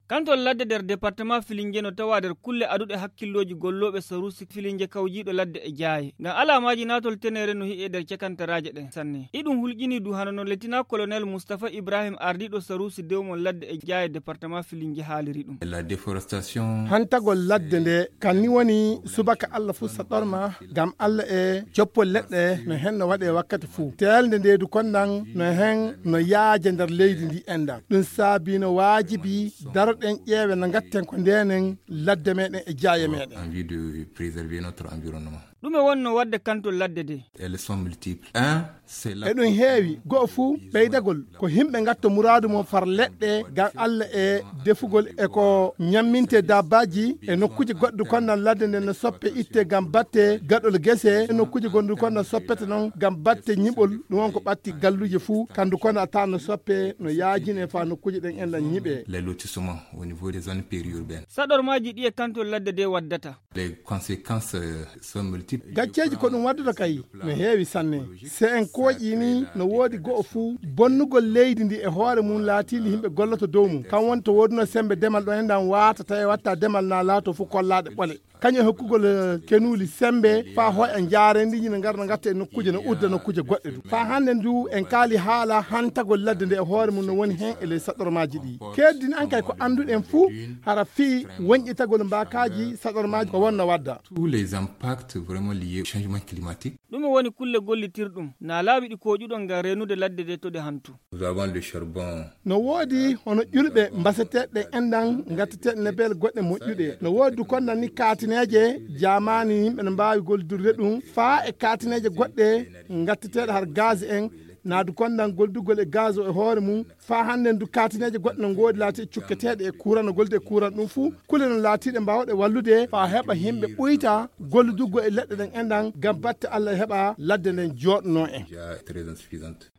Kantol ladde der département Filinge no tawa der kulle adude hakkilloji gollobe sarusi Filinge kawjido ladde e jaaye ngam alamaji natol tenere no hi'e der cekantaraje den sanne idum hulgini du hanono letina colonel Mustafa Ibrahim ardido sarusi dewmon ladde e jaaye département Filinge haaliri dum la déforestation hantagol ladde nde kanni woni subaka Allah fu sadorma gam Allah e joppol ledde no henno wade wakkati fu telde nde du konnan no hen no yaaje der leydi ndi enda dum sabino wajibi den ƴeewe no gatten ko ndenen ladde meɗen e jaaye meɗen envie de préserver notre environnement. ɗume wonno wadde kantol ladde de Elles sont multiples. C'est la eɗum heewi go'o fuu ɓeydagol ko himɓe gatta muradu mo far leɗɗe gam Allah e defugol e ko ñamminte dabbaji e nokkuji goɗɗo konnan ladde nde no soppe itte gam batte gaɗol guese e nokkuji gonɗu konno soppete noon gam batte ñiɓol ɗum won ko ɓatti galluji fuu kandu kono a tawa no soppe no yaajine fa nokkuji ɗen enɗan ñiɓe les lotissements au niveau des zones périurbaines. saɗormaji ɗi e kantol ladde de waddata Les conséquences sont multiples. gacceji ko ɗum waddata kay no heewi sanne se en kooƴini no woodi go'o fuu bonnugol leydi ndi e hoore mum laatindi himɓe golloto dow mum kan wonto woduno sembe demal ɗo enɗan watata e watta demal na laato fuu kollaɗe ɓole kañum hokkugol kenuli sembe fa ho en jaarendiñi no garno gatta e nokkuje no udda nokkuje goɗɗe du fa hande ndu en kaali haala hantagol ladde nde e hoore mum no woni hen e ley saɗormaji ɗi keddini an kay ko anduɗen fuu hara fi woñƴitagol mbakaji saɗormaji ko wonno wadda Tous les impacts vraiment liés au changement climatique. ɗume woni kulle gollitirɗum na laaɓi ɗi koƴuɗon ngam renude ladde de to ɗe hantu Nous avons le charbon. no woodi hono ƴulɓe mbaseteɗe enɗan gatteteɗe nebele goɗɗe moƴƴuɗe no woodi du konnan ni katineje jamani yimɓe ne mbawi goldirde ɗum fa e katineje goɗɗe gatteteɗe har gaz en naadu konnan goldugol e gaz o e hoore mum fa hande du katineje goɗɗe no goodi laati cukketeɗe e courant no golde e courant ɗum fuu kule no laatiɗe mbawɗe wallude fa heɓa himɓe ɓuyta golluduggo e leɗɗe ɗen enɗan gam batte Allah heɓa ladde nden joɗno en Déjà très insuffisante.